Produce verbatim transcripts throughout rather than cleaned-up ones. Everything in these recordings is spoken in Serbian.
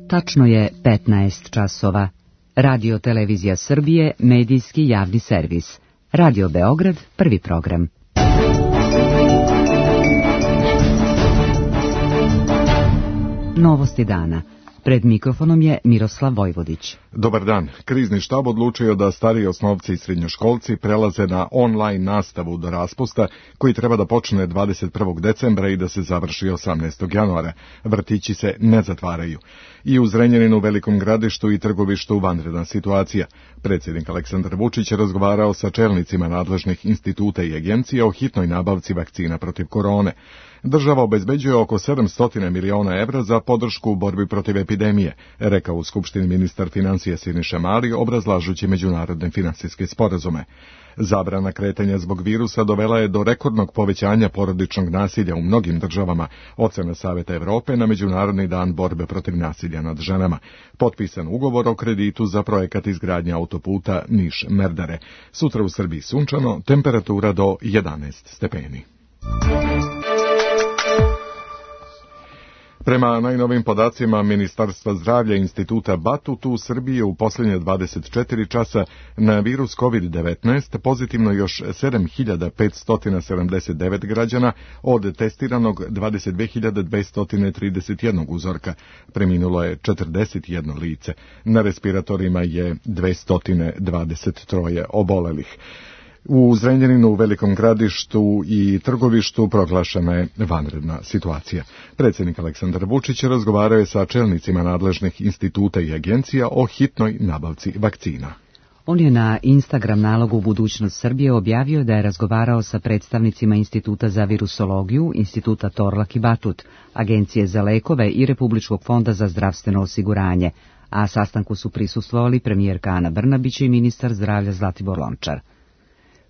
Tačno je petnaest časova. Radio Televizija Srbije, medijski javni servis. Radio Beograd, prvi program. Novosti dana. Pred mikrofonom je Miroslav Vojvodić. Dobar dan. Krizni štab odlučio da stariji osnovci i srednjoškolci prelaze na online nastavu do raspusta, koji treba da počne dvadeset prvog decembra i da se završi osamnaestog januara. Vrtići se ne zatvaraju. I u Zrenjaninu, Velikom Gradištu i Trgovištu vanredna situacija. Predsjednik Aleksandar Vučić razgovarao sa čelnicima nadležnih instituta i agencija o hitnoj nabavci vakcina protiv korone. Država obezbeđuje oko sedamsto miliona evra za podršku u borbi protiv epidemije, rekao u Skupštini ministar financija Siniša Mali, obrazlažući međunarodne finansijske sporazume. Zabrana kretanja zbog virusa dovela je do rekordnog povećanja porodičnog nasilja u mnogim državama, ocena Saveta Evrope na Međunarodni dan borbe protiv nasilja nad ženama. Potpisan ugovor o kreditu za projekat izgradnje autoputa Niš-Merdare. Sutra u Srbiji sunčano, temperatura do jedanaest stepeni. Prema najnovim podacima Ministarstva zdravlja Instituta Batut, u Srbiji u posljednje dvadeset četiri časa na virus kovid devetnaest pozitivno još sedam hiljada petsto sedamdeset devet građana od testiranog dvadeset dve hiljade dvesta trideset jedan uzorka. Preminulo je četrdeset jedno lice. Na respiratorima je dvesta dvadeset tri obolelih. U Zrenjaninu, Velikom Gradištu i Trgovištu proglašena je vanredna situacija. Predsjednik Aleksandar Vučić razgovarao je sa čelnicima nadležnih instituta i agencija o hitnoj nabavci vakcina. On je na Instagram nalogu Budućnost Srbije objavio da je razgovarao sa predstavnicima Instituta za virusologiju, Instituta Torlak i Batut, Agencije za lekove i Republičkog fonda za zdravstveno osiguranje, a sastanku su prisustvovali premijerka Ana Brnabić i ministar zdravlja Zlatibor Lončar.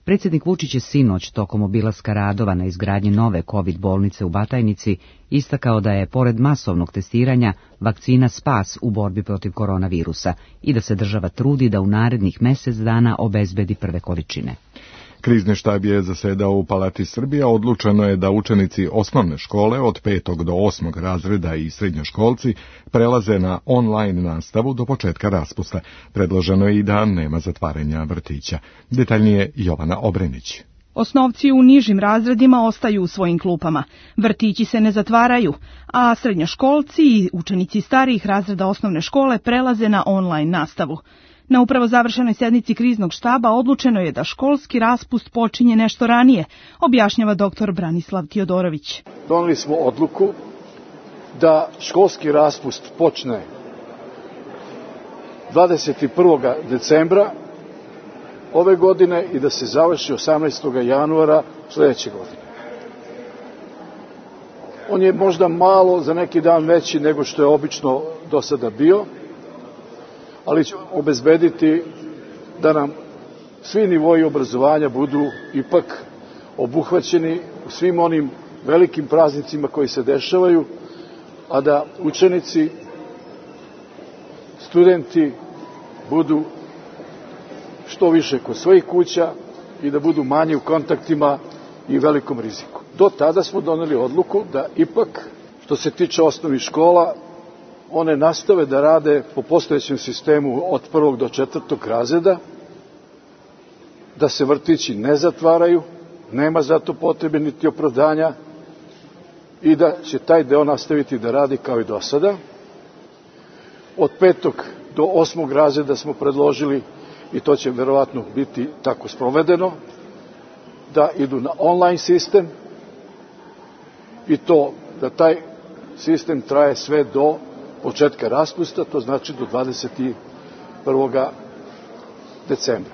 Predsjednik Vučić je sinoć tokom obilaska radova na izgradnji nove COVID bolnice u Batajnici istakao da je, pored masovnog testiranja, vakcina spas u borbi protiv koronavirusa i da se država trudi da u narednih mjesec dana obezbedi prve količine. Krizni štab je zasedao u Palati Srbija. Odlučeno je da učenici osnovne škole od petog do osmog razreda i srednjoškolci prelaze na online nastavu do početka raspusta. Predloženo je i da nema zatvaranja vrtića. Detaljnije Jovana Obrenić. Osnovci u nižim razredima ostaju u svojim klupama, vrtići se ne zatvaraju, a srednjoškolci i učenici starijih razreda osnovne škole prelaze na online nastavu. Na upravo završenoj sjednici kriznog štaba odlučeno je da školski raspust počinje nešto ranije, objašnjava doktor Branislav Tiodorović. Doneli smo odluku da školski raspust počne dvadeset prvog decembra ove godine i da se završi osamnaestog januara sljedeće godine. On je možda malo za neki dan veći nego što je obično do sada bio, ali će obezbediti da nam svi nivoi obrazovanja budu ipak obuhvaćeni u svim onim velikim praznicima koji se dešavaju, a da učenici, studenti budu što više kod svojih kuća i da budu manje u kontaktima i velikom riziku. Do tada smo doneli odluku da ipak, što se tiče osnovnih škola, one nastave da rade po postojećem sistemu od prvog do četvrtog razreda, da se vrtići ne zatvaraju, nema za to potrebe niti opravdanja i da će taj deo nastaviti da radi kao i do sada. Od petog do osmog razreda smo predložili, i to će verovatno biti tako sprovedeno, da idu na online sistem i to da taj sistem traje sve do početka raspusta, to znači do dvadeset prvog decembra.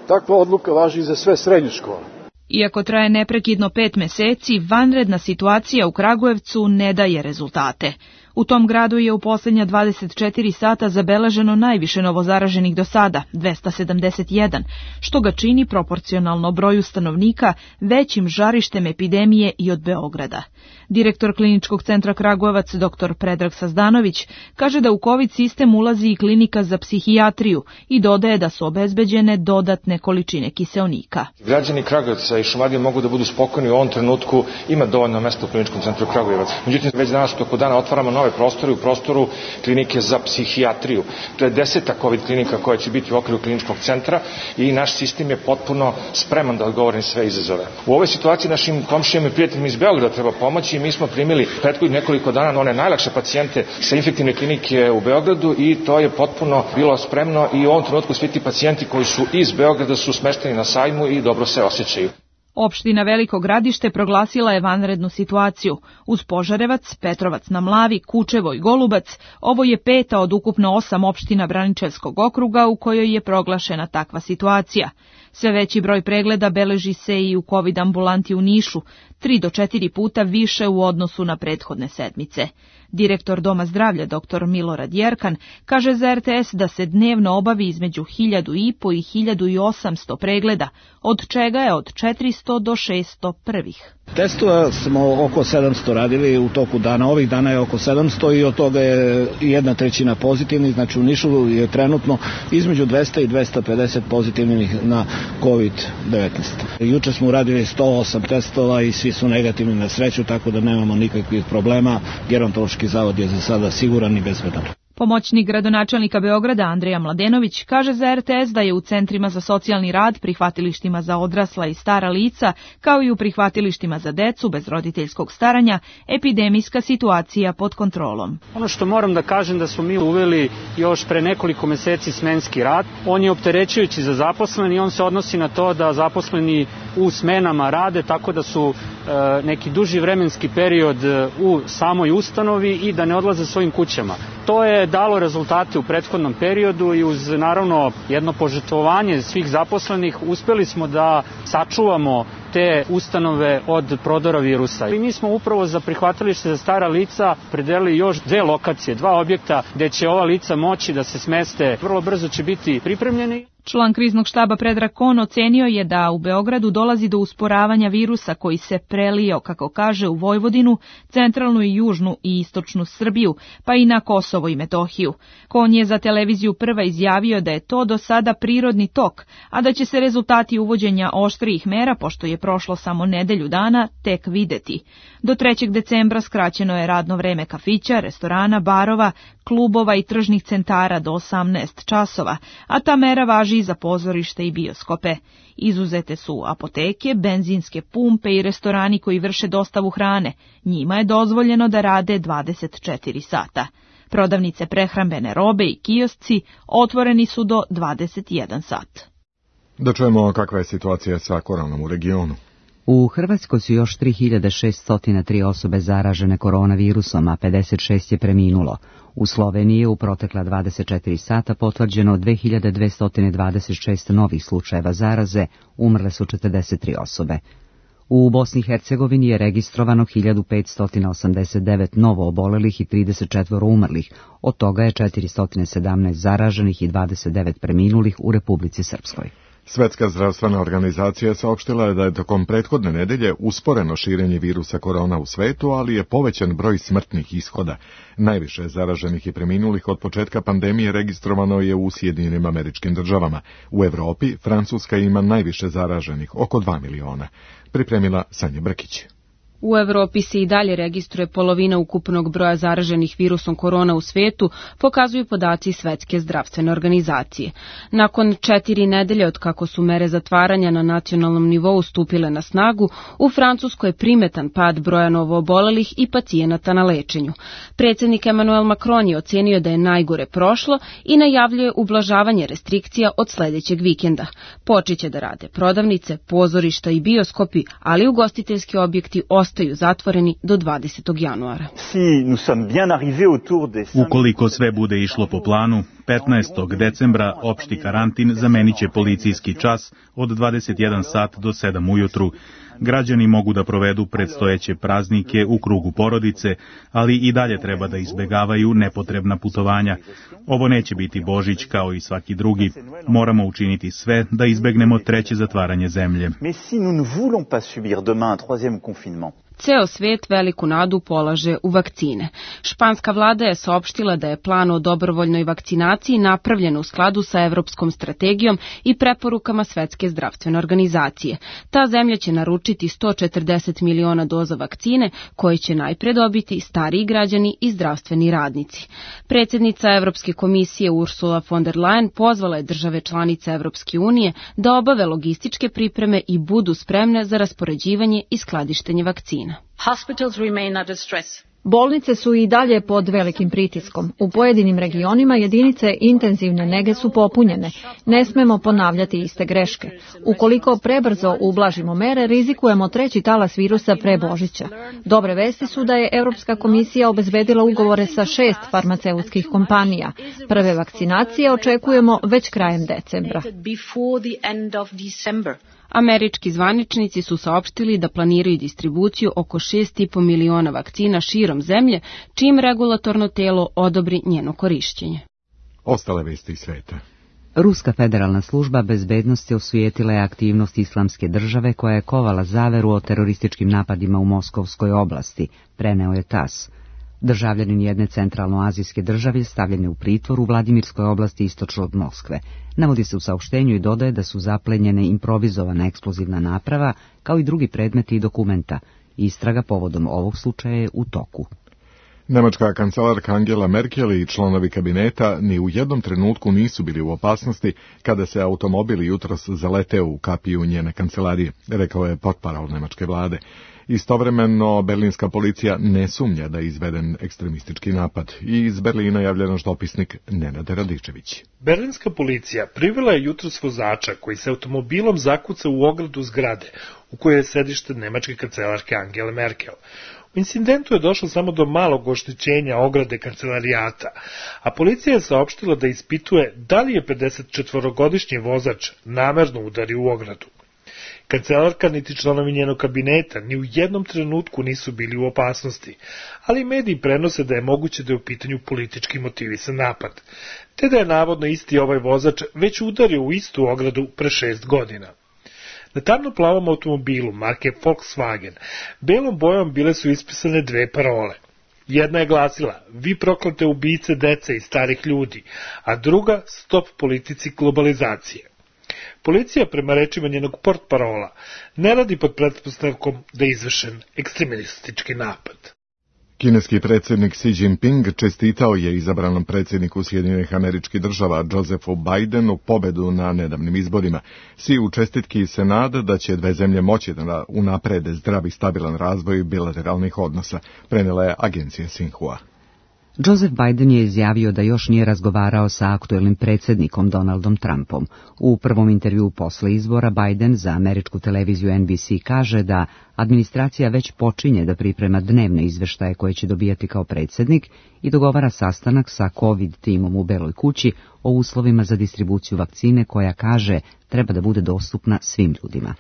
Takva odluka važi i za sve srednje škole. Iako traje neprekidno pet meseci, vanredna situacija u Kragujevcu ne daje rezultate. U tom gradu je u posljednja dvadeset četiri sata zabeleženo najviše novozaraženih do sada, dvesta sedamdeset jedan, što ga čini proporcionalno broju stanovnika većim žarištem epidemije i od Beograda. Direktor Kliničkog centra Kragujevac, dr Predrag Sazdanović, kaže da u COVID sistem ulazi i klinika za psihijatriju i dodaje da su obezbeđene dodatne količine kiseonika. Građani Kragujevca i Šumadije mogu da budu spokojni, u ovom trenutku ima dovoljno mesta u Kliničkom centru Kragujevac. Međutim, već danas toko dana otvaramo nove prostore u prostoru klinike za psihijatriju. To je deseta COVID klinika koja će biti u okviru kliničkog centra i naš sistem je potpuno spreman da odgovori na sve izazove. U ovoj situaciji našim komšijama i prijateljima iz Beograda treba pomoći i mi smo primili prethodnih nekoliko dana na one najlakše pacijente sa infektivne klinike u Beogradu i to je potpuno bilo spremno i u ovom trenutku svi ti pacijenti koji su iz Beograda su smešteni na sajmu i dobro se osjećaju. Opština Veliko Gradište proglasila je vanrednu situaciju. Uz Požarevac, Petrovac na Mlavi, Kučevo i Golubac, ovo je peta od ukupno osam opština Braničevskog okruga u kojoj je proglašena takva situacija. Sve veći broj pregleda beleži se i u COVID ambulanti u Nišu, tri do četiri puta više u odnosu na prethodne sedmice. Direktor Doma zdravlja dr Milorad Jerkan kaže za R T S da se dnevno obavi između hiljadu i po i hiljadu i osamsto pregleda, od čega je od četiristo do šesto prvih. Testova smo oko sedamsto radili u toku dana, ovih dana je oko sedamsto i od toga je jedna trećina pozitivnih, znači u Nišu je trenutno između dvesta i dvesta pedeset pozitivnih na COVID devetnaest. Juče smo uradili sto osam testova i svi su negativni na sreću, tako da nemamo nikakvih problema. Gerontološki zavod je za sada siguran i bezbedan. Pomoćnik gradonačelnika Beograda Andreja Mladenović kaže za R T S da je u centrima za socijalni rad, prihvatilištima za odrasla i stara lica, kao i u prihvatilištima za decu bez roditeljskog staranja, epidemijska situacija pod kontrolom. Ono što moram da kažem da smo mi uveli još pre nekoliko meseci smenski rad. On je opterećujući za zaposleni i on se odnosi na to da zaposleni u smenama rade, tako da su e, neki duži vremenski period u samoj ustanovi i da ne odlaze svojim kućama. To je dalo rezultate u prethodnom periodu i uz naravno jedno požrtvovanje svih zaposlenih uspeli smo da sačuvamo te ustanove od prodora virusa. I mi smo upravo za prihvatilište za stara lica predelili još dve lokacije, dva objekta gde će ova lica moći da se smeste. Vrlo brzo će biti pripremljeni. Član kriznog štaba Predrag Kon ocenio je da u Beogradu dolazi do usporavanja virusa koji se prelio, kako kaže, u Vojvodinu, centralnu i južnu i istočnu Srbiju, pa i na Kosovo i Metohiju. Kon je za televiziju Prva izjavio da je to do sada prirodni tok, a da će se rezultati uvođenja oštrijih mera, pošto je prošlo samo nedelju dana, tek videti. Do trećeg decembra skraćeno je radno vreme kafića, restorana, barova, klubova i tržnih centara do osamnaest časova, a ta mera važi i za pozorište i bioskope. Izuzete su apoteke, benzinske pumpe i restorani koji vrše dostavu hrane. Njima je dozvoljeno da rade dvadeset četiri sata. Prodavnice prehrambene robe i kiosci otvoreni su do dvadeset jedan sat. Da čujemo kakva je situacija sa koronom u regionu. U Hrvatskoj su još tri hiljade šeststo tri osobe zaražene koronavirusom, a pedeset šest je preminulo. U Sloveniji je u protekla dvadeset četiri sata potvrđeno dve hiljade dvesta dvadeset šest novih slučajeva zaraze, umrle su četrdeset tri osobe. U Bosni i Hercegovini je registrovano hiljadu petsto osamdeset devet novo obolelih i trideset četiri umrlih, od toga je četiristo sedamnaest zaraženih i dvadeset devet preminulih u Republici Srpskoj. Svetska zdravstvena organizacija saopštila je da je tokom prethodne nedelje usporeno širenje virusa korona u svetu, ali je povećan broj smrtnih ishoda. Najviše zaraženih i preminulih od početka pandemije registrovano je u Sjedinjenim Američkim Državama. U Evropi Francuska ima najviše zaraženih, oko dva miliona. Pripremila Sanja Brkić. U Evropi se i dalje registruje polovina ukupnog broja zaraženih virusom korona u svetu, pokazuju podaci Svetske zdravstvene organizacije. Nakon četiri nedelje od kako su mere zatvaranja na nacionalnom nivou stupile na snagu, u Francuskoj je primetan pad broja novoobolelih i pacijenata na lečenju. Predsjednik Emmanuel Macron je ocenio da je najgore prošlo i najavljuje ublažavanje restrikcija od sledećeg vikenda. Počeće da rade prodavnice, pozorišta i bioskopi, ali ugostiteljski objekti ostaju zatvoreni do dvadesetog januara. Ukoliko sve bude išlo po planu, petnaestog decembra opšti karantin zamenit će policijski čas od dvadeset jedan sat do sedam ujutru. Građani mogu da provedu predstojeće praznike u krugu porodice, ali i dalje treba da izbegavaju nepotrebna putovanja. Ovo neće biti Božić kao i svaki drugi. Moramo učiniti sve da izbegnemo treće zatvaranje zemlje. Ceo svet veliku nadu polaže u vakcine. Španska vlada je saopštila da je plan o dobrovoljnoj vakcinaciji napravljen u skladu sa Evropskom strategijom i preporukama Svetske zdravstvene organizacije. Ta zemlja će naručiti sto četrdeset miliona doza vakcine koje će najpre dobiti stariji građani i zdravstveni radnici. Predsjednica Evropske komisije Ursula von der Leyen pozvala je države članice Evropske unije da obave logističke pripreme i budu spremne za raspoređivanje i skladištenje vakcina. Hospitals remain under stress. Bolnice su i dalje pod velikim pritiskom. U pojedinim regionima jedinice intenzivne nege su popunjene. Ne smemo ponavljati iste greške. Ukoliko prebrzo ublažimo mere, rizikujemo treći talas virusa pre Božića. Dobre vesti su da je Europska komisija obezbedila ugovore sa šest farmaceutskih kompanija. Prve vakcinacije očekujemo već krajem decembra. Američki zvaničnici su saopštili da planiraju distribuciju oko šest i po miliona vakcina širom zemlje, čim regulatorno telo odobri njeno korišćenje. Ostale vesti iz sveta. Ruska federalna služba bezbednosti osujetila je aktivnost Islamske države koja je kovala zaveru o terorističkim napadima u Moskovskoj oblasti, preneo je tas. Državljanin jedne centralnoazijske države stavljen je u pritvor u Vladimirskoj oblasti istočno od Moskve. Navodi se u saopštenju i dodaje da su zaplenjene improvizovana eksplozivna naprava, kao i drugi predmeti i dokumenta. Istraga povodom ovog slučaja je u toku. Nemačka kancelarka Angela Merkel i članovi kabineta ni u jednom trenutku nisu bili u opasnosti kada se automobil jutros zaleteo u kapiju njene kancelarije, rekao je portparol nemačke vlade. Istovremeno, berlinska policija ne sumnja da je izveden ekstremistički napad i iz Berlina javlja naš dopisnik Nenad Radičević. Berlinska policija privela je jutros vozača koji se automobilom zakuca u ogradu zgrade u kojoj je sedište nemačke kancelarke Angele Merkel. U incidentu je došlo samo do malog oštećenja ograde kancelarijata, a policija je saopštila da ispituje da li je pedesetčetvorogodišnji vozač namerno udario u ogradu. Kancelarka niti članovi njenog kabineta ni u jednom trenutku nisu bili u opasnosti, ali mediji prenose da je moguće da je u pitanju politički motivisan napad, te da je navodno isti ovaj vozač već udario u istu ogradu pre šest godina. Na tamno-plavom automobilu marke Volkswagen belom bojom bile su ispisane dve parole. Jedna je glasila: "Vi proklete ubice dece i starih ljudi", a druga: "Stop politici globalizacije". Policija, prema rečima njenog portparola, ne radi pod pretpostavkom da je izvršen ekstremistički napad. Kineski predsjednik Xi Jinping čestitao je izabranom predsjedniku Sjedinjenih Američkih Država Josephu Bidenu pobedu na nedavnim izborima. Xi u čestitki se nada da će dve zemlje moći da unaprede zdrav i stabilan razvoj bilateralnih odnosa, prenela je agencija Xinhua. Joseph Biden je izjavio da još nije razgovarao sa aktuelnim predsjednikom Donaldom Trumpom. U prvom intervjuu posle izbora Biden za američku televiziju N B C kaže da administracija već počinje da priprema dnevne izveštaje koje će dobijati kao predsjednik i dogovara sastanak sa COVID timom u Beloj kući o uslovima za distribuciju vakcine koja, kaže, treba da bude dostupna svim ljudima.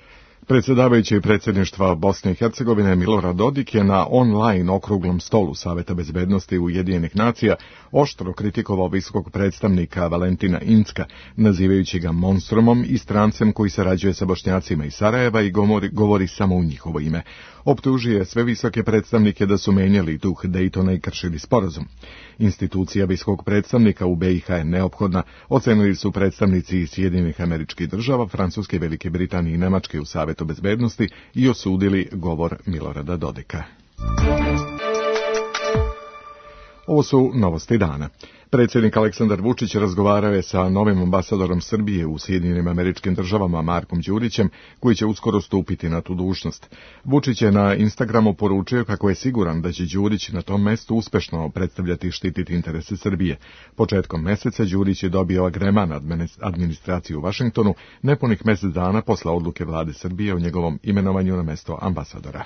Predsjedavajući predsjedništva Bosne i Hercegovine Milorad Dodik je na online okruglom stolu Saveta bezbednosti Ujedinjenih nacija oštro kritikovao visokog predstavnika Valentina Incka, nazivajući ga monstrumom i strancem koji sarađuje sa Bošnjacima iz Sarajeva i govori, govori samo u njihovo ime. Optužuje sve visoke predstavnike da su menjali duh Dejtona i kršili sporazum. Institucija visokog predstavnika u B i H je neophodna, ocenili su predstavnici iz Sjedinjenih Američkih Država, Francuske, Velike Britanije i Nemačke u Savetu bezbednosti i osudili govor Milorada Dodika. Ovo su novosti dana. Predsjednik Aleksandar Vučić razgovarao je sa novim ambasadorom Srbije u Sjedinjenim Američkim Državama Markom Đurićem, koji će uskoro stupiti na tu dužnost. Vučić je na Instagramu poručio kako je siguran da će Đurić na tom mestu uspešno predstavljati i štititi interese Srbije. Početkom meseca Đurić je dobio agreman administraciju u Vašingtonu nepunih mjesec dana posle odluke vlade Srbije o njegovom imenovanju na mesto ambasadora.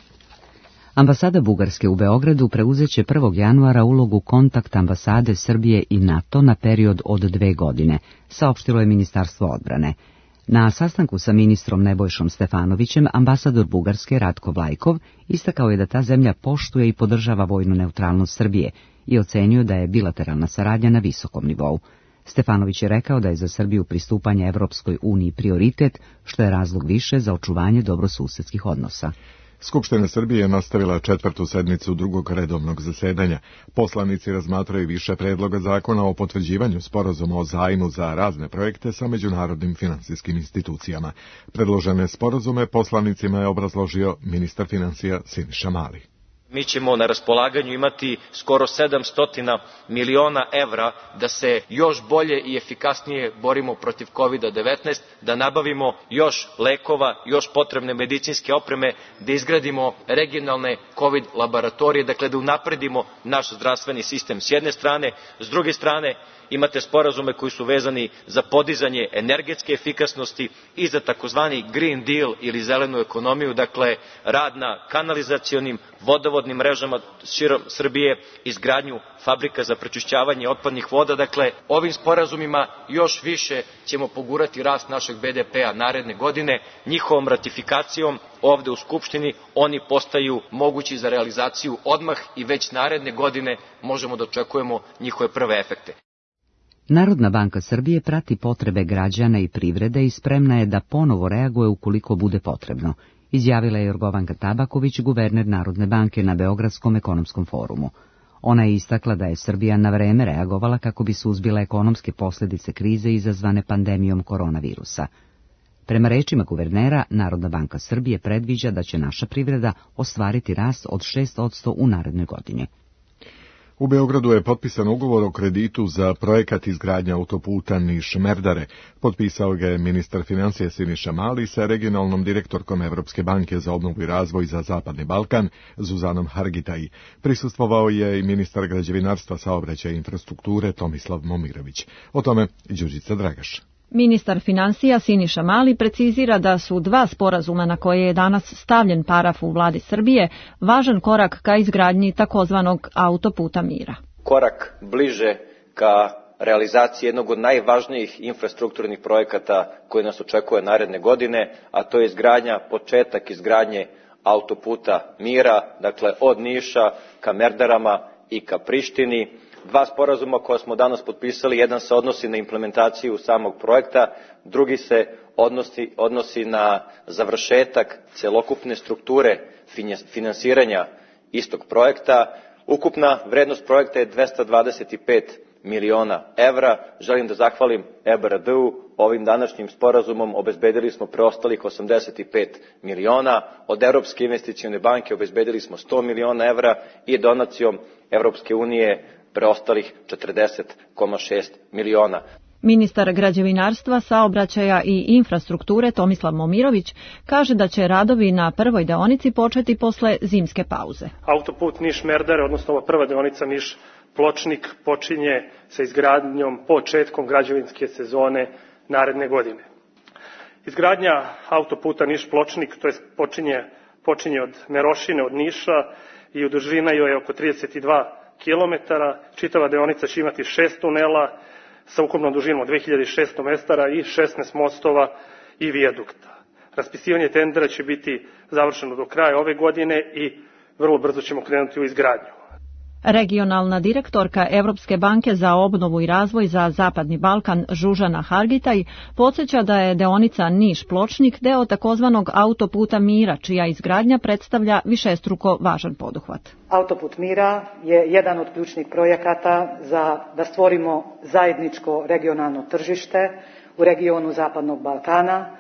Ambasada Bugarske u Beogradu preuzeće prvog januara ulogu kontakt ambasade Srbije i NATO na period od dve godine, saopštilo je Ministarstvo odbrane. Na sastanku sa ministrom Nebojšom Stefanovićem, ambasador Bugarske Ratko Vlajkov istakao je da ta zemlja poštuje i podržava vojnu neutralnost Srbije i ocenio da je bilateralna saradnja na visokom nivou. Stefanović je rekao da je za Srbiju pristupanje Evropskoj uniji prioritet, što je razlog više za očuvanje dobrosusedskih odnosa. Skupština Srbije je nastavila četvrtu sednicu drugog redovnog zasedanja. Poslanici razmatraju više predloga zakona o potvrđivanju sporazuma o zajmu za razne projekte sa međunarodnim finansijskim institucijama. Predložene sporazume poslanicima je obrazložio ministar finansija Siniša Mali. Mi ćemo na raspolaganju imati skoro sedamsto miliona evra da se još bolje i efikasnije borimo protiv kovid devetnaest, da nabavimo još lekova, još potrebne medicinske opreme, da izgradimo regionalne kovid laboratorije, dakle da unapredimo naš zdravstveni sistem s jedne strane, s druge strane imate sporazume koji su vezani za podizanje energetske efikasnosti i za takozvani Green Deal ili zelenu ekonomiju, dakle rad na kanalizacionim, vodovodnim mrežama širom Srbije, izgradnju fabrika za prečišćavanje otpadnih voda. Dakle, ovim sporazumima još više ćemo pogurati rast našeg be de pea naredne godine. Njihovom ratifikacijom ovde u Skupštini oni postaju mogući za realizaciju odmah i već naredne godine možemo da očekujemo njihove prve efekte. Narodna banka Srbije prati potrebe građana i privrede i spremna je da ponovo reaguje ukoliko bude potrebno, izjavila je Jorgovanka Tabaković, guverner Narodne banke na Beogradskom ekonomskom forumu. Ona je istakla da je Srbija na vreme reagovala kako bi suzbila ekonomske posljedice krize izazvane pandemijom koronavirusa. Prema rečima guvernera, Narodna banka Srbije predviđa da će naša privreda ostvariti rast od šest posto u narednoj godini. U Beogradu je potpisan ugovor o kreditu za projekat izgradnje autoputa Niš-Merdare. Potpisao ga je ministar financija Siniša Mali sa regionalnom direktorkom Evropske banke za obnovu i razvoj za Zapadni Balkan, Zuzanom Hargitaj. Prisustvovao je i ministar građevinarstva, saobraćaja i infrastrukture Tomislav Momirović. O tome Đurđica Dragaš. Ministar financija Siniša Mali precizira da su dva sporazuma na koje je danas stavljen paraf u vladi Srbije važan korak ka izgradnji takozvanog autoputa mira. Korak bliže ka realizaciji jednog od najvažnijih infrastrukturnih projekata koji nas očekuje naredne godine, a to je izgradnja, početak izgradnje autoputa mira, dakle od Niša ka Merdarama i ka Prištini. Dva sporazuma koja smo danas potpisali, jedan se odnosi na implementaciju samog projekta, drugi se odnosi, odnosi na završetak celokupne strukture finansiranja istog projekta. Ukupna vrednost projekta je dvesta dvadeset pet miliona evra. Želim da zahvalim E B R D-u. Ovim današnjim sporazumom obezbedili smo preostalih osamdeset pet miliona. Od Evropske investicione banke obezbedili smo sto miliona evra i donacijom Evropske unije preostalih četrdeset zarez šest miliona. Ministar građevinarstva, saobraćaja i infrastrukture Tomislav Momirović kaže da će radovi na prvoj deonici početi posle zimske pauze. Autoput Niš-Merdare, odnosno ova prva deonica Niš-Pločnik, počinje sa izgradnjom početkom građevinske sezone naredne godine. Izgradnja autoputa Niš-Pločnik, to jest počinje, počinje od Merošine, od Niša i u dužina joj je oko trideset dva kilometara. Čitava deonica će imati šest tunela sa ukupnom dužinom od dve hiljade šesto metara i šesnaest mostova i vijadukta. Raspisivanje tendera će biti završeno do kraja ove godine i vrlo brzo ćemo krenuti u izgradnju. Regionalna direktorka Evropske banke za obnovu i razvoj za Zapadni Balkan Zuzana Hargitaj podsjeća da je deonica Niš-Pločnik deo takozvanog autoputa mira, čija izgradnja predstavlja višestruko važan poduhvat. Autoput mira je jedan od ključnih projekata za da stvorimo zajedničko regionalno tržište u regionu Zapadnog Balkana,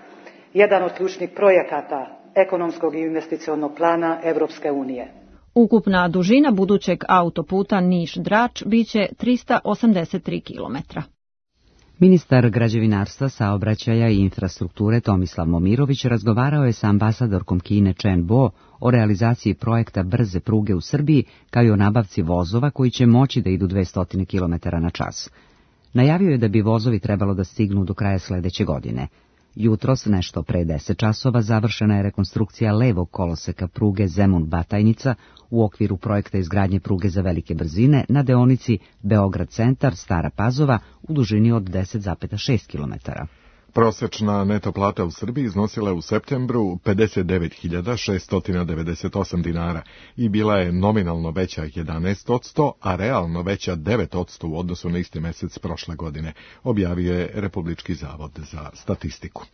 jedan od ključnih projekata ekonomskog i investicionog plana Evropske unije. Ukupna dužina budućeg autoputa Niš-Drač biće trista osamdeset tri kilometra. Ministar građevinarstva, saobraćaja i infrastrukture Tomislav Momirović razgovarao je sa ambasadorkom Kine Chen Bo o realizaciji projekta brze pruge u Srbiji, kao i o nabavci vozova koji će moći da idu dvesta kilometara na čas. Najavio je da bi vozovi trebalo da stignu do kraja sledeće godine. Jutros, nešto pre deset časova, završena je rekonstrukcija levog koloseka pruge Zemun-Batajnica u okviru projekta izgradnje pruge za velike brzine na deonici Beograd-Centar-Stara Pazova u dužini od deset zarez šest kilometara. Prosečna neto plata u Srbiji iznosila je u septembru pedeset devet hiljada šesto devedeset osam dinara i bila je nominalno veća jedanaest posto, a realno veća devet posto u odnosu na isti mesec prošle godine, objavio je Republički zavod za statistiku.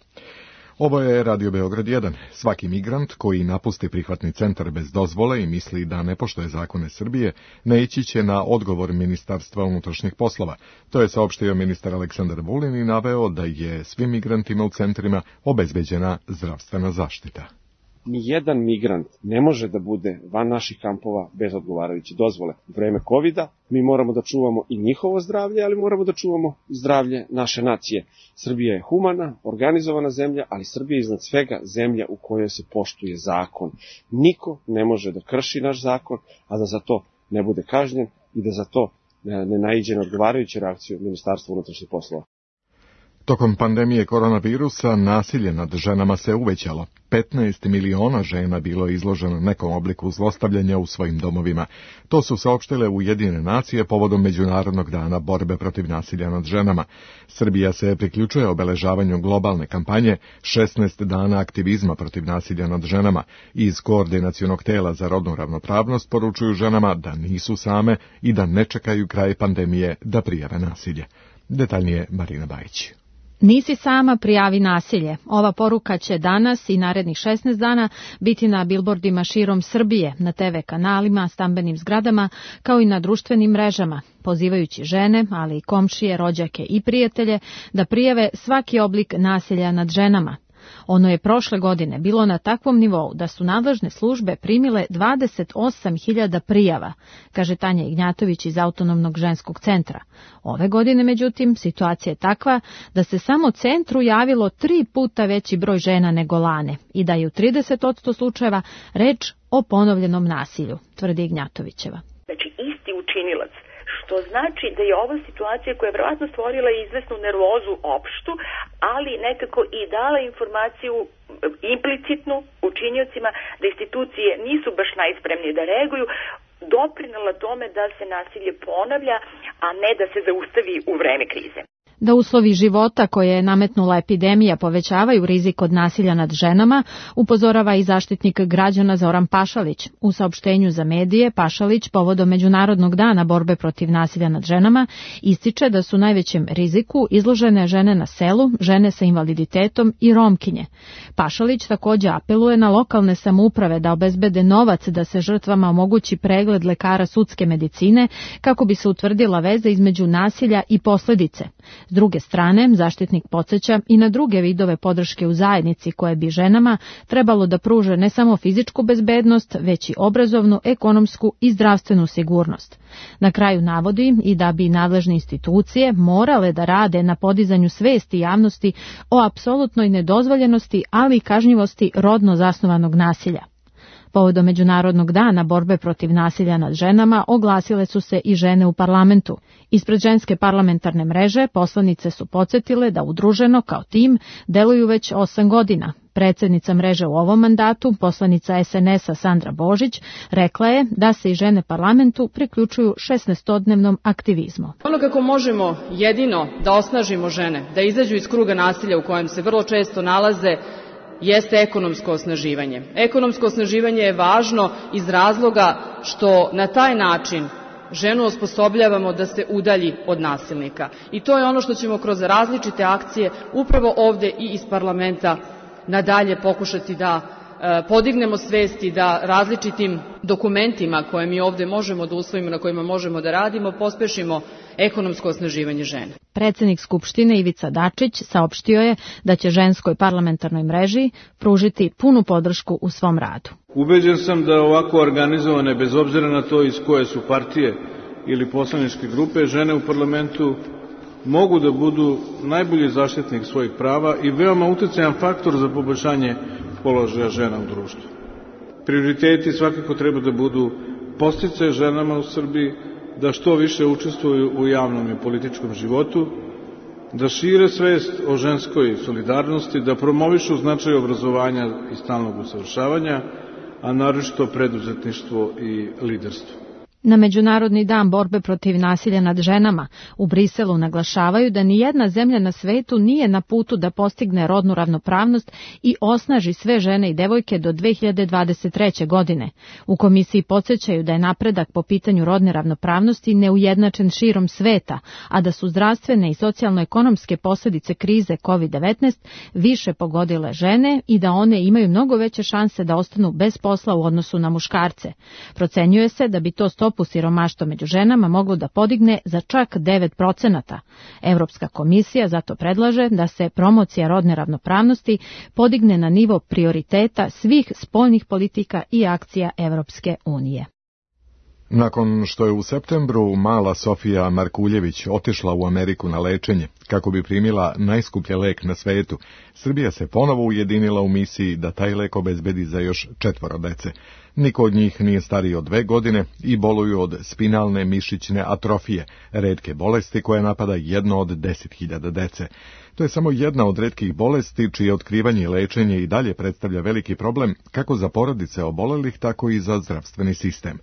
Ovo je Radio Beograd jedan. Svaki migrant koji napusti prihvatni centar bez dozvole i misli da ne poštuje zakone Srbije, naići će na odgovor Ministarstva unutrašnjih poslova. To je saopštio ministar Aleksandar Vulin i naveo da je svim migrantima u centrima obezbeđena zdravstvena zaštita. Nijedan migrant ne može da bude van naših kampova bez odgovarajuće dozvole. U vreme kovida mi moramo da čuvamo i njihovo zdravlje, ali moramo da čuvamo zdravlje naše nacije. Srbija je humana, organizovana zemlja, ali Srbija je iznad svega zemlja u kojoj se poštuje zakon. Niko ne može da krši naš zakon, a da za to ne bude kažnjen i da za to ne naiđe na odgovarajuću reakciju Ministarstva unutrašnjih poslova. Tokom pandemije koronavirusa nasilje nad ženama se uvećalo. petnaest miliona žena bilo je izloženo nekom obliku zlostavljanja u svojim domovima. To su saopštile Ujedinjene nacije povodom Međunarodnog dana borbe protiv nasilja nad ženama. Srbija se priključuje obeležavanju globalne kampanje šesnaest dana aktivizma protiv nasilja nad ženama. Iz Koordinacionog tela za rodnu ravnopravnost poručuju ženama da nisu same i da ne čekaju kraj pandemije da prijave nasilje. Detaljnije Marina Bajić. Nisi sama, prijavi nasilje. Ova poruka će danas i narednih šesnaest dana biti na bilbordima širom Srbije, na te ve kanalima, stambenim zgradama, kao i na društvenim mrežama, pozivajući žene, ali i komšije, rođake i prijatelje da prijave svaki oblik nasilja nad ženama. Ono je prošle godine bilo na takvom nivou da su nadležne službe primile dvadeset osam hiljada prijava, kaže Tanja Ignjatović iz Autonomnog ženskog centra. Ove godine, međutim, situacija je takva da se samo centru javilo tri puta veći broj žena nego lane i da je u trideset posto slučajeva reč o ponovljenom nasilju, tvrdi Ignjatovićeva. Znači, isti učinilac, što znači da je ova situacija koja je vjerojatno stvorila izvesnu nervozu opštu, ali nekako i dala informaciju implicitnu učiniocima da institucije nisu baš najspremnije da reaguju, doprinela tome da se nasilje ponavlja, a ne da se zaustavi u vreme krize. Da uslovi života koje je nametnula epidemija povećavaju rizik od nasilja nad ženama, upozorava i zaštitnik građana Zoran Pašalić. U saopštenju za medije Pašalić povodom Međunarodnog dana borbe protiv nasilja nad ženama ističe da su najvećem riziku izložene žene na selu, žene sa invaliditetom i Romkinje. Pašalić takođe apeluje na lokalne samouprave da obezbede novac da se žrtvama omogući pregled lekara sudske medicine kako bi se utvrdila veza između nasilja i posledice. S druge strane, zaštitnik podsjeća i na druge vidove podrške u zajednici koje bi ženama trebalo da pruže ne samo fizičku bezbednost, već i obrazovnu, ekonomsku i zdravstvenu sigurnost. Na kraju navodi i da bi nadležne institucije morale da rade na podizanju svesti javnosti o apsolutnoj nedozvoljenosti, ali i kažnjivosti rodno zasnovanog nasilja. Povodom Međunarodnog dana borbe protiv nasilja nad ženama oglasile su se i žene u parlamentu. Ispred ženske parlamentarne mreže poslanice su podsjetile da udruženo kao tim deluju već osam godina. Predsjednica mreže u ovom mandatu, poslanica es en es a Sandra Božić, rekla je da se i žene parlamentu priključuju šesnaestodnevnom aktivizmu. Ono kako možemo jedino da osnažimo žene, da izađu iz kruga nasilja u kojem se vrlo često nalaze, jeste ekonomsko osnaživanje. Ekonomsko osnaživanje je važno iz razloga što na taj način ženu osposobljavamo da se udalji od nasilnika. I to je ono što ćemo kroz različite akcije upravo ovde i iz parlamenta nadalje pokušati da e, podignemo svesti, da različitim dokumentima koje mi ovde možemo da usvojimo, na kojima možemo da radimo, pospešimo ekonomsko osnaživanje žene. Predsjednik Skupštine Ivica Dačić saopštio je da će ženskoj parlamentarnoj mreži pružiti punu podršku u svom radu. Ubeđen sam da ovako organizovane, bez obzira na to iz koje su partije ili poslaničke grupe, žene u parlamentu mogu da budu najbolji zaštitnik svojih prava i veoma uticajan faktor za poboljšanje položaja žena u društvu. Prioriteti svakako treba da budu podsticaj ženama u Srbiji, da što više učestvuju u javnom i političkom životu, da šire svest o ženskoj solidarnosti, da promovišu značaj obrazovanja i stalnog usavršavanja, a naročito preduzetništvo i liderstvo. Na Međunarodni dan borbe protiv nasilja nad ženama u Briselu naglašavaju da nijedna zemlja na svetu nije na putu da postigne rodnu ravnopravnost i osnaži sve žene i devojke do dve hiljade dvadeset treće. godine. U komisiji podsjećaju da je napredak po pitanju rodne ravnopravnosti neujednačen širom sveta, a da su zdravstvene i socijalno-ekonomske posljedice krize kovid devetnaest više pogodile žene i da one imaju mnogo veće šanse da ostanu bez posla u odnosu na muškarce. Procenjuje se da bi to stopu siromaštva među ženama moglo da podigne za čak devet procenata. Evropska komisija zato predlaže da se promocija rodne ravnopravnosti podigne na nivo prioriteta svih spoljnih politika i akcija Evropske unije. Nakon što je u septembru mala Sofija Markuljević otišla u Ameriku na lečenje kako bi primila najskuplji lek na svetu, Srbija se ponovo ujedinila u misiji da taj lek obezbedi za još četvoro dece. Niko od njih nije stariji od dve godine i boluju od spinalne mišićne atrofije, retke bolesti koja napada jedno od deset hiljada dece. To je samo jedna od retkih bolesti čije otkrivanje i lečenje i dalje predstavlja veliki problem kako za porodice obolelih, tako i za zdravstveni sistem.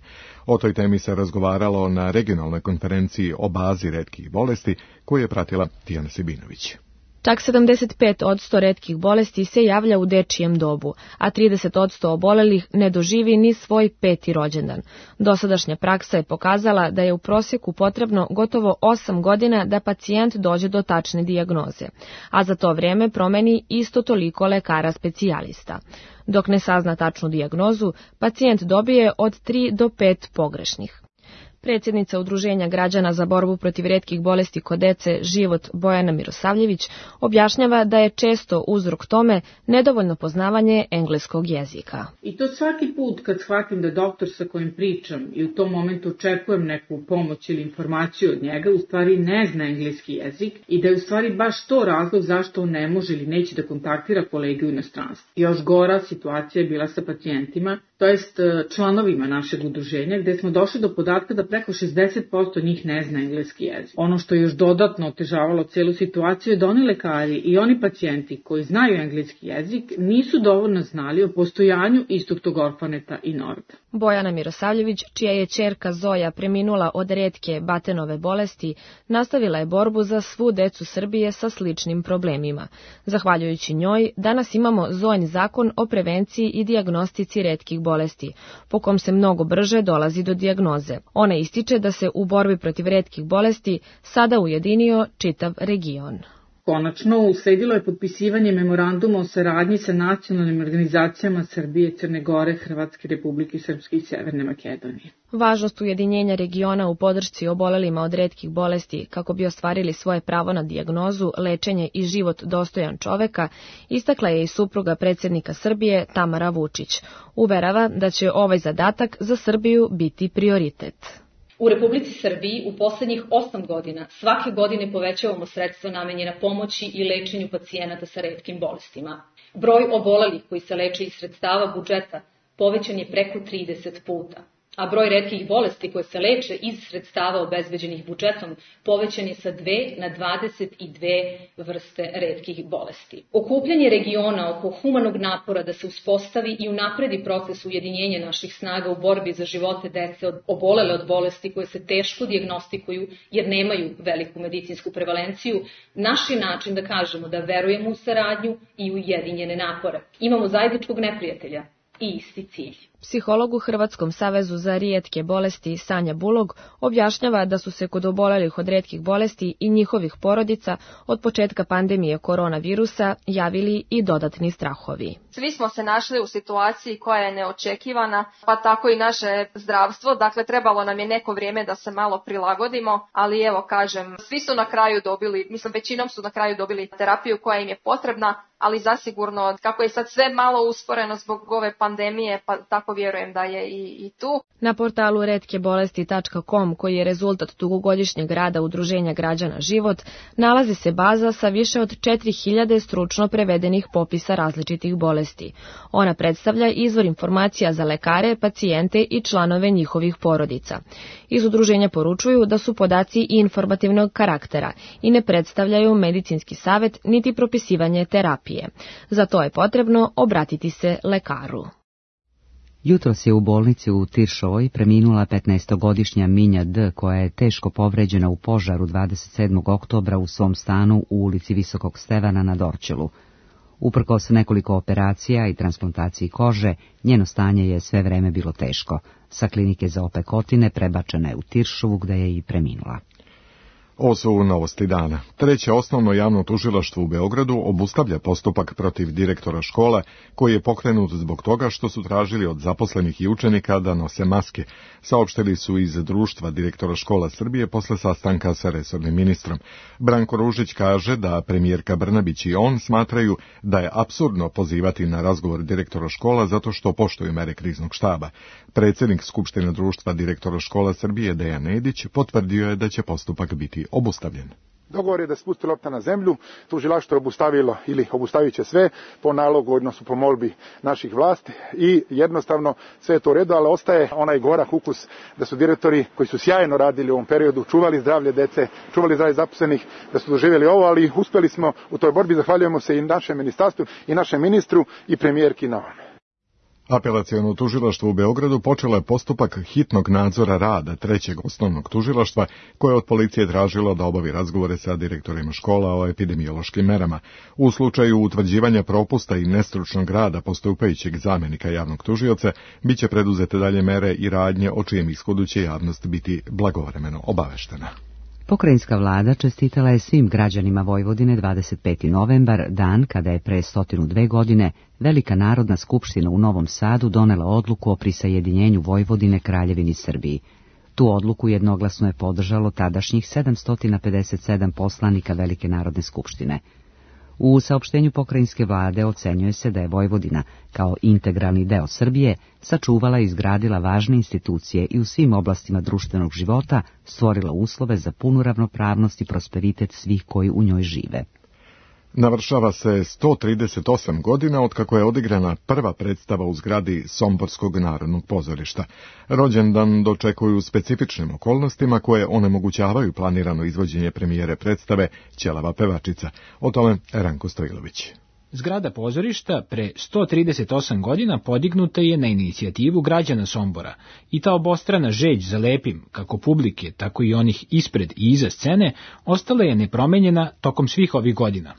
O toj temi se razgovaralo na regionalnoj konferenciji o bazi retkih bolesti koju je pratila Tijana Sibinović. Čak sedamdeset pet posto retkih bolesti se javlja u dečijem dobu, a trideset posto obolelih ne doživi ni svoj peti rođendan. Dosadašnja praksa je pokazala da je u prosjeku potrebno gotovo osam godina da pacijent dođe do tačne dijagnoze, a za to vrijeme promeni isto toliko lekara specijalista. Dok ne sazna tačnu dijagnozu, pacijent dobije od tri do pet pogrešnih. Predsjednica Udruženja građana za borbu protiv retkih bolesti kod dece Život Bojana Mirosavljević objašnjava da je često uzrok tome nedovoljno poznavanje engleskog jezika. I to svaki put kad shvatim da doktor sa kojim pričam i u tom momentu očekujem neku pomoć ili informaciju od njega, u stvari ne zna engleski jezik i da je u stvari baš to razlog zašto on ne može ili neće da kontaktira kolege u inostranstvu. Još gora situacija je bila sa pacijentima, to jest članovima našeg udruženja, gde smo došli do podatka da preko šezdeset posto njih ne zna engleski jezik. Ono što je još dodatno otežavalo celu situaciju je da oni lekari i oni pacijenti koji znaju engleski jezik nisu dovoljno znali o postojanju istog tog orfaneta i Norda. Bojana Mirosavljević, čija je ćerka Zoja preminula od retke Batenove bolesti, nastavila je borbu za svu decu Srbije sa sličnim problemima. Zahvaljujući njoj, danas imamo Zojin zakon o prevenciji i dijagnostici retkih bolesti, po kom se mnogo brže dolazi do dijagnoze. Ona ističe da se u borbi protiv retkih bolesti sada ujedinio čitav region. Konačno, usledilo je potpisivanje memoranduma o saradnji sa nacionalnim organizacijama Srbije, Crne Gore, Hrvatske Republike Srpske i Severne Makedonije. Važnost ujedinjenja regiona u podršci obolelima od retkih bolesti kako bi ostvarili svoje pravo na dijagnozu, lečenje i život dostojan čoveka, istakla je i supruga predsjednika Srbije Tamara Vučić. Uverava da će ovaj zadatak za Srbiju biti prioritet. U Republici Srbiji u poslednjih osam godina svake godine povećavamo sredstva namenjena pomoći i lečenju pacijenata sa retkim bolestima. Broj obolelih koji se leče iz sredstava budžeta povećan je preko trideset puta, a broj retkih bolesti koje se leče iz sredstava obezbeđenih budžetom povećan je sa dve na dvadeset dve vrste retkih bolesti. Okupljanje regiona oko humanog napora da se uspostavi i unapredi proces ujedinjenja naših snaga u borbi za živote dece od obolele od bolesti koje se teško dijagnostikuju jer nemaju veliku medicinsku prevalenciju, naš je način da kažemo da verujemo u saradnju i u ujedinjene napore. Imamo zajedničkog neprijatelja i isti cilj. Psiholog u Hrvatskom savezu za rijetke bolesti Sanja Bulog objašnjava da su se kod obolelih od retkih bolesti i njihovih porodica od početka pandemije koronavirusa javili i dodatni strahovi. Svi smo se našli u situaciji koja je neočekivana, pa tako i naše zdravstvo, dakle trebalo nam je neko vrijeme da se malo prilagodimo, ali evo kažem, svi su na kraju dobili, mislim većinom su na kraju dobili terapiju koja im je potrebna, ali zasigurno kako je sad sve malo usporeno zbog ove pandemije, pa tako vjerujem da je i, i tu. Na portalu retke bolesti tačka com, koji je rezultat dugogodišnjeg rada Udruženja građana Život, nalazi se baza sa više od četiri hiljade stručno prevedenih popisa različitih bolesti. Ona predstavlja izvor informacija za lekare, pacijente i članove njihovih porodica. Iz udruženja poručuju da su podaci i informativnog karaktera i ne predstavljaju medicinski savjet niti propisivanje terapije. Za to je potrebno obratiti se lekaru. Jutros je u bolnici u Tiršovoj preminula petnaestogodišnja Minja D, koja je teško povređena u požaru dvadeset sedmog oktobra u svom stanu u ulici Visokog Stevana na Dorćolu. Uprkos nekoliko operacija i transplantaciji kože, njeno stanje je sve vreme bilo teško. Sa klinike za opekotine prebačena je u Tiršovu, gde je i preminula. Ovo su novosti dana. Treće osnovno javno tužilaštvo u Beogradu obustavlja postupak protiv direktora škola, koji je pokrenut zbog toga što su tražili od zaposlenih i učenika da nose maske. Saopštili su iz Društva direktora škola Srbije posle sastanka sa resornim ministrom. Branko Ružić kaže da premijerka Brnabić i on smatraju da je apsurdno pozivati na razgovor direktora škola zato što poštuju mere kriznog štaba. Predsjednik Skupštine Društva direktora škola Srbije Dejan Nedić potvrdio je da će postupak biti obustavljen. Dogovor je da spusti lopta na zemlju, tužilaštvo je obustavilo ili obustavit će sve po nalogu, odnosno po molbi naših vlasti i jednostavno sve je to u redu, ali ostaje onaj gorak ukus da su direktori koji su sjajno radili u ovom periodu, čuvali zdravlje dece, čuvali zdravlje zaposlenih, da su doživjeli ovo, ali uspjeli smo u toj borbi, zahvaljujemo se i našem ministarstvu i našem ministru i premijerki na ovome. Apelaciono tužilaštvo u Beogradu počelo je postupak hitnog nadzora rada trećeg osnovnog tužilaštva, koje je od policije tražilo da obavi razgovore sa direktorima škola o epidemiološkim merama. U slučaju utvrđivanja propusta i nestručnog rada postupajućeg zamjenika javnog tužioca, bit će preduzete dalje mere i radnje o čijem ishodu će javnost biti blagovremeno obaveštena. Pokrajinska vlada čestitala je svim građanima Vojvodine dvadeset peti novembar, dan kada je pre stotinu dve godine Velika narodna skupština u Novom Sadu donela odluku o prisajedinjenju Vojvodine Kraljevini Srbiji. Tu odluku jednoglasno je podržalo tadašnjih sedamsto pedeset sedam poslanika Velike narodne skupštine. U saopštenju pokrajinske vlade ocenjuje se da je Vojvodina, kao integralni deo Srbije, sačuvala i izgradila važne institucije i u svim oblastima društvenog života stvorila uslove za punu ravnopravnost i prosperitet svih koji u njoj žive. Navršava se sto trideset osam godina od kako je odigrana prva predstava u zgradi Somborskog narodnog pozorišta. Rođendan dočekuju u specifičnim okolnostima koje onemogućavaju planirano izvođenje premijere predstave Ćelava pevačica. O tome Ranko Stojilović. Zgrada pozorišta pre sto trideset osam godina podignuta je na inicijativu građana Sombora i ta obostrana žeđ za lepim, kako publike, tako i onih ispred i iza scene, ostala je nepromenjena tokom svih ovih godina.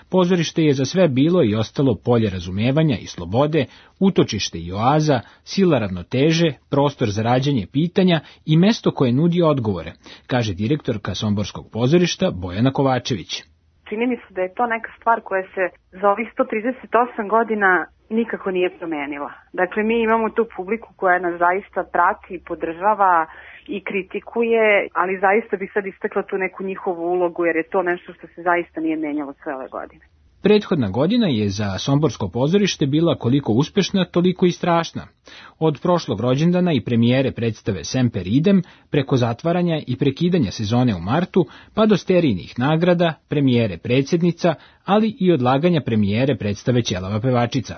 Pozorište je za sve bilo i ostalo polje razumevanja i slobode, utočište i oaza, sila ravnoteže, prostor za rađanje pitanja i mesto koje nudi odgovore, kaže direktorka Somborskog pozorišta Bojana Kovačević. Čini mi se da je to neka stvar koja se za ovih sto trideset osam godina nikako nije promenila. Dakle, mi imamo tu publiku koja nas zaista prati, podržava i kritikuje, ali zaista bih sad istakla tu neku njihovu ulogu, jer je to nešto što se zaista nije menjalo sve ove godine. Prethodna godina je za Somborsko pozorište bila koliko uspešna, toliko i strašna. Od prošlog rođendana i premijere predstave Semper Idem, preko zatvaranja i prekidanja sezone u martu, pa do sterijnih nagrada, premijere predsjednica, ali i odlaganja premijere predstave Ćelava pevačica.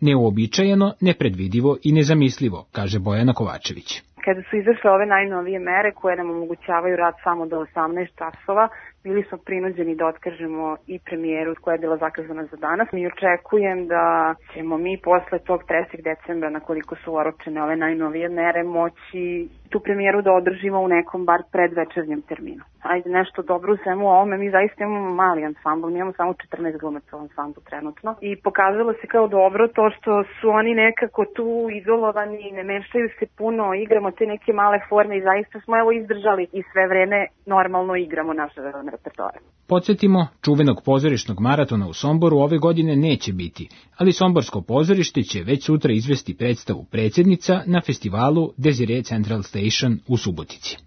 Neuobičajeno, nepredvidivo i nezamislivo, kaže Bojana Kovačević. Kada su izašle ove najnovije mere koje nam omogućavaju rad samo do osamnaest časova, bili smo prinuđeni da otkažemo i premijeru koja je bila zakazana za danas. Mi očekujem da ćemo mi posle tog trećeg decembra, na koliko su oročene ove najnovije mere, moći tu premijeru da održimo u nekom bar predvečernjem terminu. Ajde, nešto dobro u svemu ovome, mi zaista imamo mali ansambl, mi imamo samo četrnaest glumaca u ansamblu trenutno i pokazalo se kao dobro to što su oni nekako tu izolovani, ne mešaju se puno, igramo te neke male forme i zaista smo evo izdržali i sve vreme normalno igramo naše repertoare. Podsjetimo, čuvenog pozorišnog maratona u Somboru ove godine neće biti, ali Somborsko pozorište će već sutra izvesti predstavu Predsjednica na festivalu Desire Central Station u Subotici.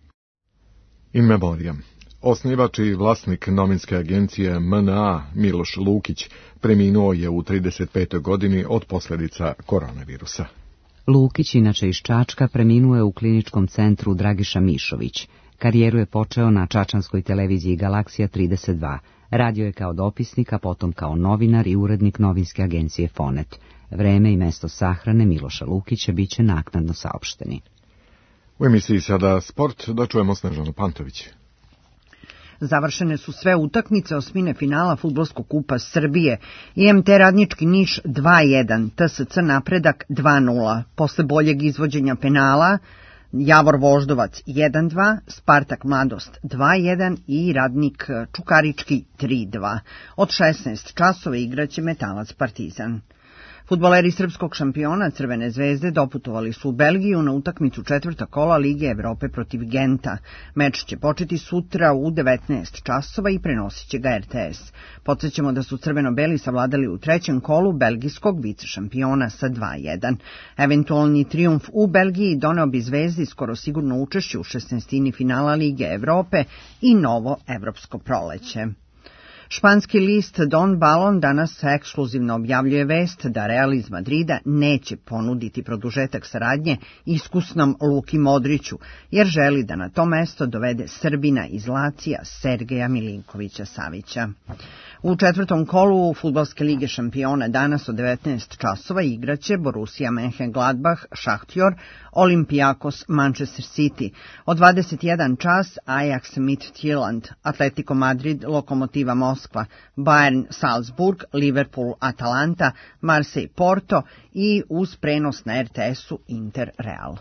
In memoriam. Osnivač i vlasnik novinske agencije M N A Miloš Lukić preminuo je u trideset petoj godini od posljedica koronavirusa. Lukić, inače iz Čačka, preminuo je u kliničkom centru Dragiša Mišović. Karijeru je počeo na čačanskoj televiziji Galaksija trideset dva. Radio je kao dopisnik, a potom kao novinar i urednik novinske agencije Fonet. Vreme i mesto sahrane Miloša Lukića bit će naknadno saopšteni. U emisiji sada Sport, da čujemo Snežanu Pantović. Završene su sve utakmice osmine finala Fudbalskog kupa Srbije. I M T Radnički Niš dva jedan, T S C Napredak dva nula. Posle boljeg izvođenja penala Javor Voždovac jedan dva, Spartak Mladost dva jedan i Radnik Čukarički tri dva. Od šesnaest časova igraće Metalac Partizan. Fudbaleri srpskog šampiona Crvene zvezde doputovali su u Belgiju na utakmicu četvrta kola Lige Evrope protiv Genta. Meč će početi sutra u devetnaest časova i prenosit će ga R T S. Podsećamo da su crveno-beli savladali u trećem kolu belgijskog vicešampiona sa dva jedan. Eventualni trijumf u Belgiji doneo bi Zvezdi skoro sigurno učešće u šesnaestini finala Lige Evrope i novo evropsko proleće. Španski list Don Balon danas ekskluzivno objavljuje vest da Real iz Madrida neće ponuditi produžetak saradnje iskusnom Luki Modriću, jer želi da na to mesto dovede Srbina iz Lacija Sergeja Milinkovića Savića. U četvrtom kolu Fudbalske lige šampiona danas od devetnaest časova igraće Borussia Mönchengladbach Šahtjor, Olympiakos Manchester City. Od dvadeset jedan čas Ajax Midtjylland, Atletico Madrid Lokomotiva Moskva, Bayern Salzburg, Liverpool Atalanta, Marseille Porto i uz prenos na R T S-u Inter Real.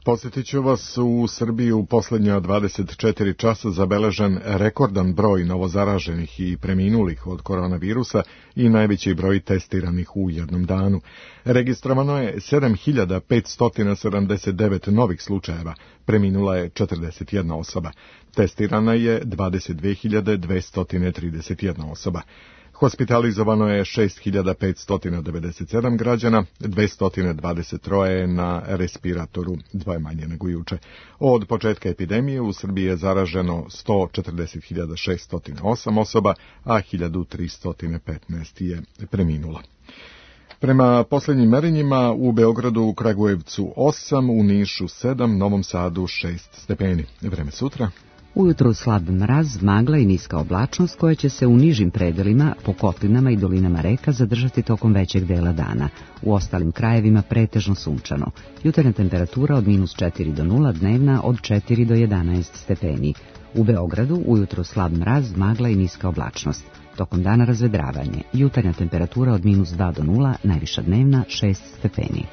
Posjetit ću vas, u Srbiji u posljednja dvadeset četiri časa zabeležen rekordan broj novozaraženih i preminulih od koronavirusa i najveći broj testiranih u jednom danu. Registrovano je sedam hiljada petsto sedamdeset devet novih slučajeva, preminula je četrdeset jedna osoba. Testirana je dvadeset dve hiljade dvesta trideset jedna osoba. Hospitalizovano je šest hiljada petsto devedeset sedam građana, dvesta dvadeset tri je na respiratoru, dvoje manje nego juče. Od početka epidemije u Srbiji je zaraženo sto četrdeset hiljada šeststo osam osoba, a hiljadu tristo petnaest je preminulo. Prema posljednjim merenjima u Beogradu, u Kragujevcu osam, u Nišu sedam, Novom Sadu šest stepeni. Vreme sutra. Ujutro slab mraz, magla i niska oblačnost koja će se u nižim predelima, po kotlinama i dolinama reka zadržati tokom većeg dela dana. U ostalim krajevima pretežno sunčano. Jutarnja temperatura od minus četiri do nula, dnevna od četiri do jedanaest stepeni. U Beogradu ujutro slab mraz, magla i niska oblačnost. Tokom dana razvedravanje. Jutarnja temperatura od minus dva do nula, najviša dnevna šest stepeni.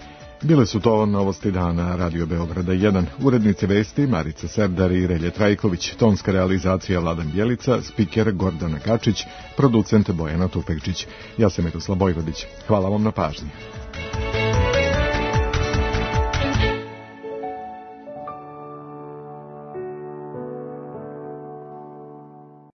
Bile su to novosti dana Radio Beograda jedan. Urednice vesti Marica Serdar i Relje Trajković, tonska realizacija Vladan Bjelica, spiker Gordana Kačić, producent Bojana Tupekčić. Ja sam Miroslav Bojvodić. Hvala vam na pažnji.